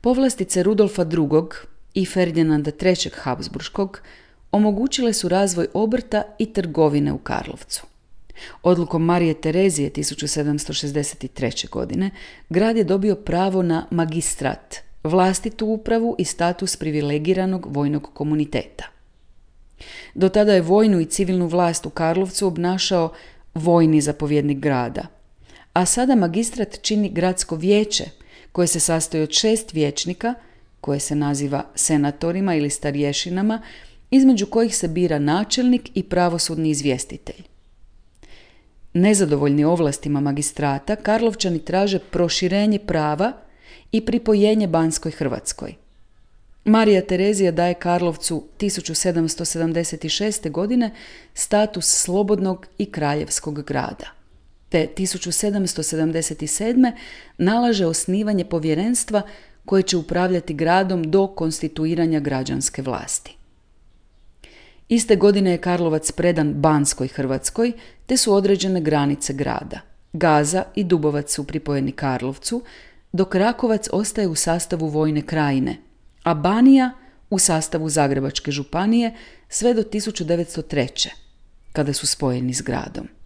Povlastice Rudolfa II. I Ferdinanda III. Habsburškog omogućile su razvoj obrta i trgovine u Karlovcu. Odlukom Marije Terezije 1763. godine grad je dobio pravo na magistrat, vlastitu upravu i status privilegiranog vojnog komuniteta. Do tada je vojnu i civilnu vlast u Karlovcu obnašao vojni zapovjednik grada, a sada magistrat čini gradsko vijeće koje se sastoji od 6 vijećnika, koje se naziva senatorima ili starješinama, između kojih se bira načelnik i pravosudni izvjestitelj. Nezadovoljni ovlastima magistrata, Karlovčani traže proširenje prava i pripojenje Banskoj Hrvatskoj. Marija Terezija daje Karlovcu 1776. godine status slobodnog i kraljevskog grada, te 1777. nalaže osnivanje povjerenstva koje će upravljati gradom do konstituiranja građanske vlasti. Iste godine je Karlovac predan Banskoj Hrvatskoj, te su određene granice grada. Gaza i Dubovac su pripojeni Karlovcu, dok Rakovac ostaje u sastavu Vojne krajine, a Banija u sastavu Zagrebačke županije sve do 1903. kada su spojeni s gradom.